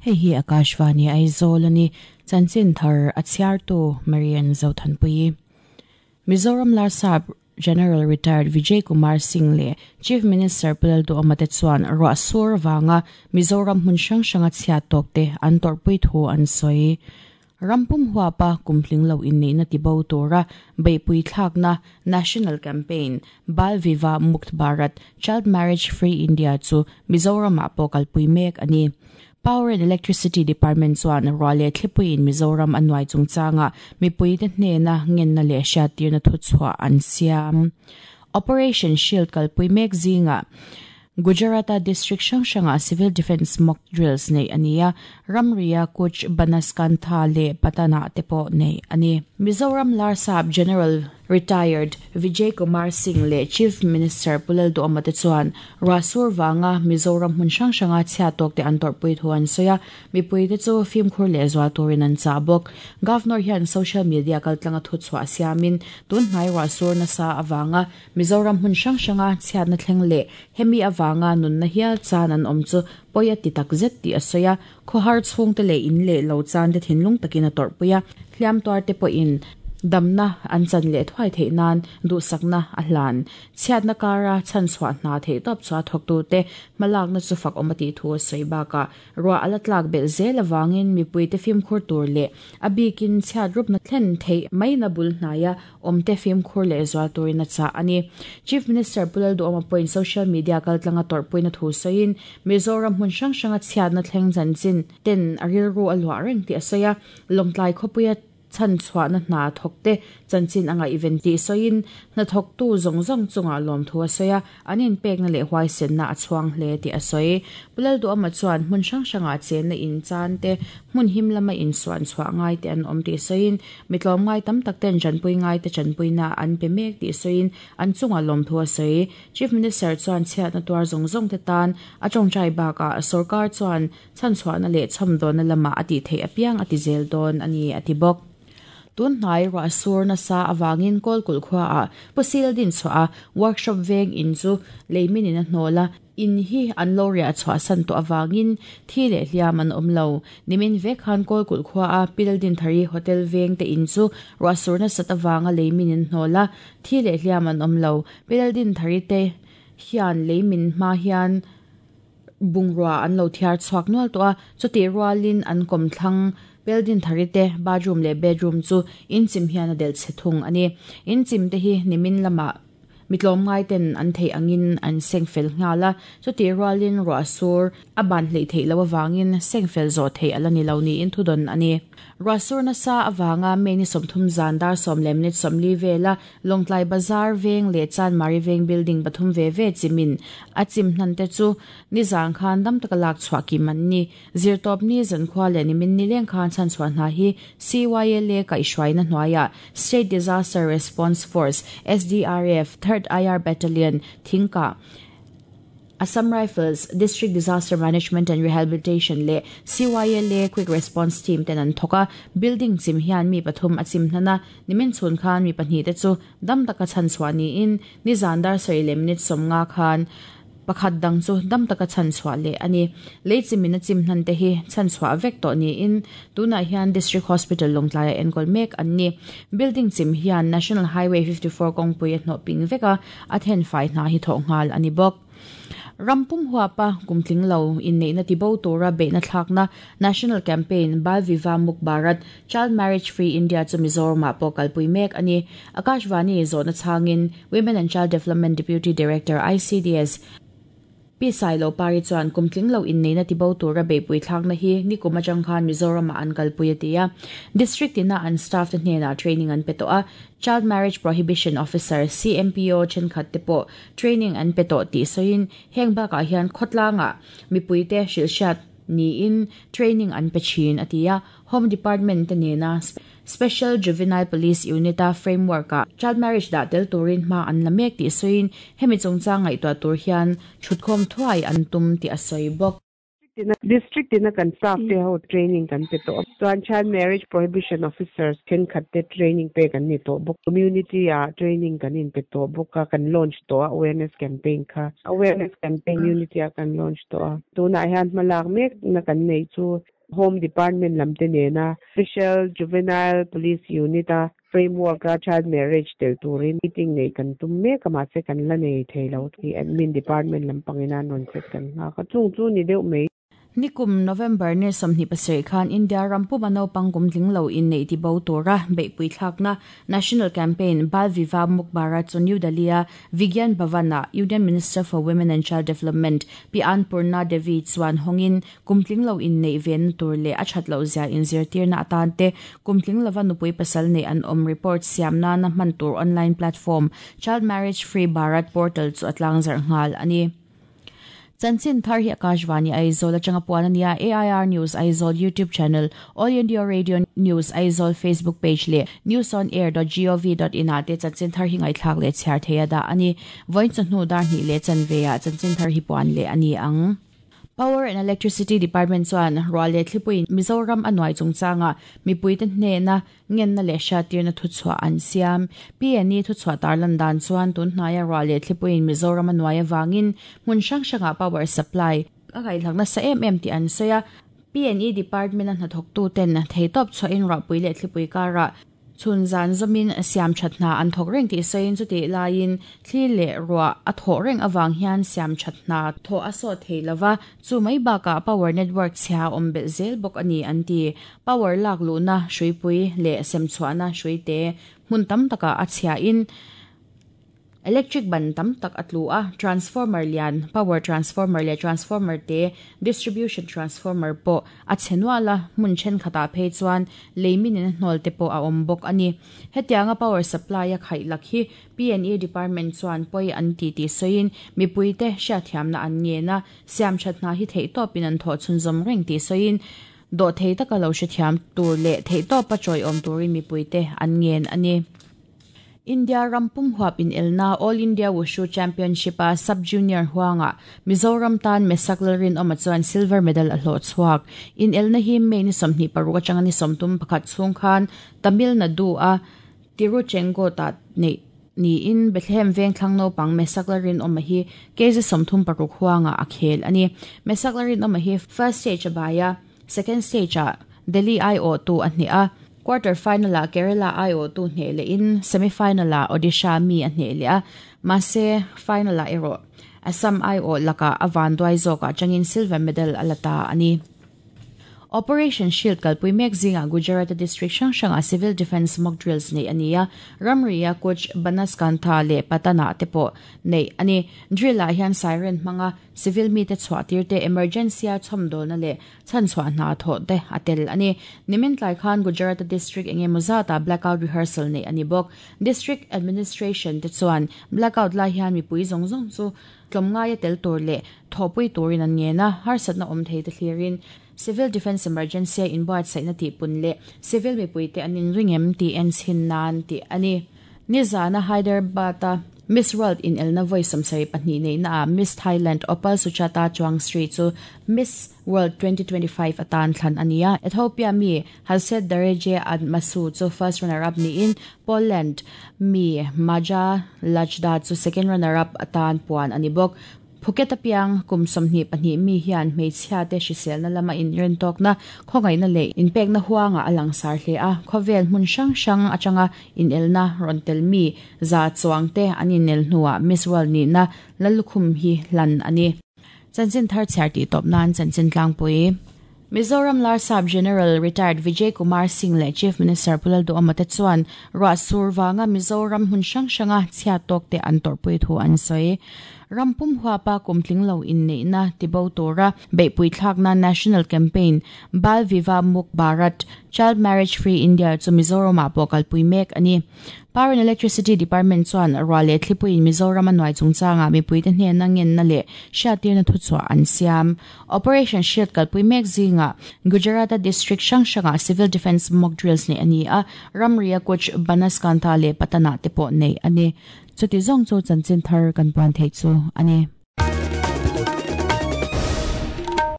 Hei hi Akashvani Aizawl a ni. Chanchin thar a chhiartu Marian Zothanpuii. Mizoram Larsap General Retired Vijay Kumar Singh leh Chief Minister Pu Lalduhawma te chuan ruah sur vanga Mizoram hmun hrang hranga chhiat tawkte an tawrhpui thu an sawi. Ram pum huapa kum hling lo inneihna tibo tura beihpui thlakna National Campaign, Bal Vivah Mukt Bharat, Child Marriage Free India chu Mizoramah pawh kalpui mek a ni. Power and Electricity Department chuan ruah leh thlipuiin Mizoram a nuai chungchangah mipuite hnena ngenna leh hriattirna thuchhuah an siam. Operation Shield kalpui mek zingah Gujarat-a district hrang hrangah civil defence mock drills neih a ni a, ramria Kutch, Banaskantha leh Patan-ah te pawh neih a ni. Mizoram Larsap General, Retired, Vijay Kumar Singh leh Chief Minister Pu Lalduhawma te chuan ruah sur vanga Mizoram hmun hrang hranga chhiat tawkte an tawrhpui thu an sawi a, mipuite chu fimkhur leh zual turin an chah bawk. Governor hian social media kaltlanga thuchhuah siamin tunhnai ruah sur nasa avanga Mizoram hmun hrang hranga chhiatna thleng leh hemi avanga nunna hial chan an awm chu pawi a ti tak zet tih a sawi a, khawhar chhungte leh in leh lo chan te thinlung takin a tawrhpui a, hliam tuar te pawhin damna an chan leh thuai theih nan duhsakna a hlan. Chhiatna kara chhanchhuah hna theihtawp chua thawktute hmalakna chu fak awm a tih thu a sawi bakah Ruah a la tlak belh zel avangin mipuite fimkhur tur leh a bikin chhiat rupna thlen theih maina bul hnaia awmte fimkhur leh zual turin a chah a ni. Chief Minister Pu Lalduhawma pawhin social media kaltlanga tawrhpuina thu sawiin Mizoram hmun hrang hranga chhiatna thleng chanchin ten a rilru a luah reng tih a sawi a, Lawngtlai khawpuia Chhanchhuahna hna thawkte chanchin a ngaihven tih sawiin hnathawktu zawng zawng chungah lawmthu a sawi a, an inpekna leh huaisenna a chhuang hle tih a sawi. Pu Lalduhawma chuan hmun hrang hrangah chenna in chan te, hmun him lama insuan chhuah ngai te an awm tih sawiin, mi tlawmngai tam tak ten chanpui ngai te chanpuina an pe mek tih sawiin an chungah lawmthu a sawi. Chief Minister chuan chhiatna tuar zawng zawng te tan a tawngtai bakah sorkar chuan Chhanchhuahna leh chhawmdawnna lamah a tih theih apiang a ti zel dawn a ni, a ti bawk. Tun hnai ruah sur nasa avangin Kawlkulh khuaah Pusil din chhuah a workshop veng in chu leimin in a hnawl a, in hi an lo riah chhuahsan tawh avangin thi leh hliam an awm lo. Nimin vek khan Kawlkulh khuaa Pildinthari Hotel veng te in chu ruah sur nasat avanga leimin in hnawl a, thi leh hliam an awm lo. Pildinthari te hian leimin hma hian Bungrua an lo thiar chhuak nual tawh a, chutih rualin an kawmthlang building thari te bathroom leh bedroom chu inchim hian a delh chhe thung a ni. Inchim te hi nimin lamah mi tlawmngai ten an theih angin an seng fel nghal a, chutih rualin ruah sur a ban hleih theih loh avangin seng fel zawh theih a la ni lo niin thudawn a ni. Ruah sur nasa avanga May ni 30 zan dar 10 minute 40 vela Lawngtlai Bazar veng leh Chanmari veng building pathum ve ve chimin a chim hnan te chu nizan khan dam taka lak chhuah kim an ni. Zirtawp ni zankhua leh nimin nileng khan chhanchhuah hna hi CYLA kaihhruaina hnuaiah State Disaster Response Force, SDRF, Third IR Battalion, Thingkah, Assam Rifles, District Disaster Management and Rehabilitation leh CYLA Quick Response Team ten an thawk a, building chim hian mi pathum a chim hnan a, nimin chhun khan mi pahnih te chu dam taka chhanchhuah niin nizan dar sarih leh minute 50 khan pakhat dang chu dam taka chhanchhuah leh a ni. Lei chimin a chim hnan te hi chhanchhuah vek tawh niin tunah hian District Hospital Lawngtlaiah enkawl mek an ni. Building chim hian National Highway 54 kawngpui a hnawh ping vek a, a thenfai hna hi thawh nghal a ni bawk. Ram pum huapa kum tling lo inneihna tibo tura beihna thlakna National Campaign Bal Vivah Muk Bharat, Child Marriage Free India chu Mizoramah pawh kalpui mek a ni. Akashvani zawhna chhangin Women and Child Development Deputy Director ICDS, Pi Sailo Pari chuan kum tling lo inneihna tibo tura beihpui thlakna hi nikum atang khan Mizoramah an kalpui a ti a. District ina an staff te hnenah training an pe tawh a, Child Marriage Prohibition Officer, CMPO, thenkhat te pawh training an pe tawh tih sawiin heng bakah hian khawtlangah mipuite hrilhhriat niin training an pe thin a ti a. Home Department te nena Special Juvenile Police Unit-a framework-ah child marriage dah tel turin hma an la mek tih sawiin hemi chungchang ngaihtuah tur hian thutkhawm thuai an tum tih a sawi bawk. District tina kan staff te ho training kan pe tawh a, chuan Child Marriage Prohibition Officers thenkhat te training pek an ni tawh bawk. Community-ah training kan inpe tawh bawk a, kan launch tawh a awareness campaign kha. Awareness campaign unity-ah kan launch tawh a, tunah hian hmalak mekna kan nei chu. Home Department lam te nena Special Juvenile Police Unit a framework a child marriage tel turin meeting nei kan tum mek a, mahse kan la nei thei lo tih Admin Department lampangin an rawn set kan nghak a, chung chu ni deuh mai. Nikum November ni 27 khan India ram puma naupang kum tling lo inneih tibo tura beihpui thlakna National Campaign Bal Vivah Muk Bharat chu New Delhi-a Vigyan Bhavan-ah Union Minister for Women and Child Development Pi Annpurna Devi chuan hawngin kum tling lo inneih venna tur leh a that loh zia inzirtirna atan te kum tling lova nupui pasal neih an awm report siam nana hman tur online platform Child Marriage Free Bharat portal chu a tlangzarh nghal a ni. Chanchin thar hi Akashvani Aizawl atanga puan a nia, AIR News Aizawl YouTube channel, All India Radio News Aizawl Facebook page leh newsonair.gov.in ah te chanchin thar hi ngaihthlak leh chhiar thei a dah a ni. Vawiin chawhnu dar hnih leh chanve ah chanchin thar hi puan leh a ni ang. Power and Electricity Department chuan ruah leh thlipuiin Mizoram a nuai chungchangah mipuite hnena Ngenna leh hriattirna thuchhuah an siam. PNE thuchhuah tarlan dan chuan tun hnaia ruah leh thlipuiin Mizoram a nuai avangin hmun hrang hrangah power supply a ngaihlak nasa em em tih an sawi a. PNE department-a hnathawktuten theitawp chhuahin ruahpui leh thlipui karah chhun zan zawmin siam that hna an thawk reng tih sawiin chutih laiin thli leh ruah a thawh reng avang hian siam that hna thawh a sawt thei lova, chu mai bakah power network chhia a awm belh zel bawk a ni an ti. Power lak luhna hruipui leh semchhuahna hruite hmun tam takah a chhiahin electric ban tam tak a tlu a, transformer lian, power transformer leh transformer te, distribution transformer pawh a chhe nual a, hmun thenkhatah phei chuan lei minin a hnawl te pawh a awm bawk a ni. Hetianga power supply a khaih lak hi PNE department chuan pawi an ti tih sawiin mipuite hriatthiamna an ngen a, siamthat hna hi theihtawpin an thawh chhunzawm reng tih sawiin Dawhthei taka lo hrethiam tur leh theihtawpa chawiawm turin mipuite an ngen a ni. India ram pum huap inelna All India Wushu Championship-a Sub-Junior huangah Mizoram tan Mesak Lalrinawma chuan silver medal a hlawh chhuak. Inelna hi May ni 26 atanga ni 31 chhung khan Tamil Nadu-a Tiruchengode-ah neih niin Bethlehem vengthlang naupang Mesak Lalrinawma hi kg 36 huangah a khel a ni. Mesak Lalrinawma hi first stage a bai a, second stage-ah Delhi aiawhtu a hneh a, quarter final-ah Kerala aiawhtu hneh lehin semi-final-ah Odisha mi a hneh leh a, mahse final-ah erawh Assam aiawh lakah a vanduai zawkah atangin silver medal a la ta a ni. Operation Shield kalpui mek zingah Gujarat-a district hrang hrangah civil defence mock drills neih a ni a, ramria Kutch, Banaskantha leh Patana te pawh neih a ni. Drill-ah hian siren hmanga civil mite chhuah tir te, emergency-a chhawmdawlna leh chhanchhuah hna thawh te a tel a ni. Nimin tlai khan Gujarat-a district eng emaw zatah blackout rehearsal neih a ni bawk. District administration te chuan blackout lai hian mipui zawng zawng chu Tlawmngaia tel tur leh thawhpui turin an ngen a, harsatna awm thei te thlirin Civil Defence Emergency a inbuatsaihna tihpun leh civil mipuite an inring em tih en chhin nan tih a ni. Nizana Hyderabad-a Miss World inelna vawi 72 neihna ah Miss Thailand Opal Suchata Chuangsri chu Miss World 2025 atan thlan a ni a, Ethiopia mi Halset Dereje Admasu chu first runner-up niin Poland mi Maja Lajda chu second runner-up atan puan a ni bawk. Phuket a piang kum 22 mi hian hmeichhia te hriselna lama inrentawkna, khawngaihna leh inpekna huangah a langsar hle a, khawvel hmun hrang hrang atanga inelna rawn tel mi za chuang te an inel hnuah Miss World nihna Lallukhum hi hlan a ni. Chanchin thar chhiar tih tawp nan chanchin tlangpui. Mizoram Larsap General Retired Vijay Kumar Singh leh Chief Minister Pu Lalduhawma te chuan ruah sur vanga Mizoram hmun hrang hranga chhiat tawk te an tawrhpui thu an sawi. Ram pum huapa kum tling lo inneihna tibo tura beihpui thlakna National Campaign Bal Vivah Muk Bharat, Child Marriage Free India chu Mizoramah pawh kalpui mek a ni. Power and Electricity Department chuan ruah leh thlipuiin Mizoram a nuai chungchangah mipuite hnena ngenna leh hriattirna thuchhuah an siam. Operation Shield kalpui mek zingah Gujarat-a district hrang hrangah civil defence mock drills neih a ni a, ramria Kutch, Banaskantha leh Patana te pawh neih a ni. Chuti zawng chu chanchin thar kan puan theih chu a ni.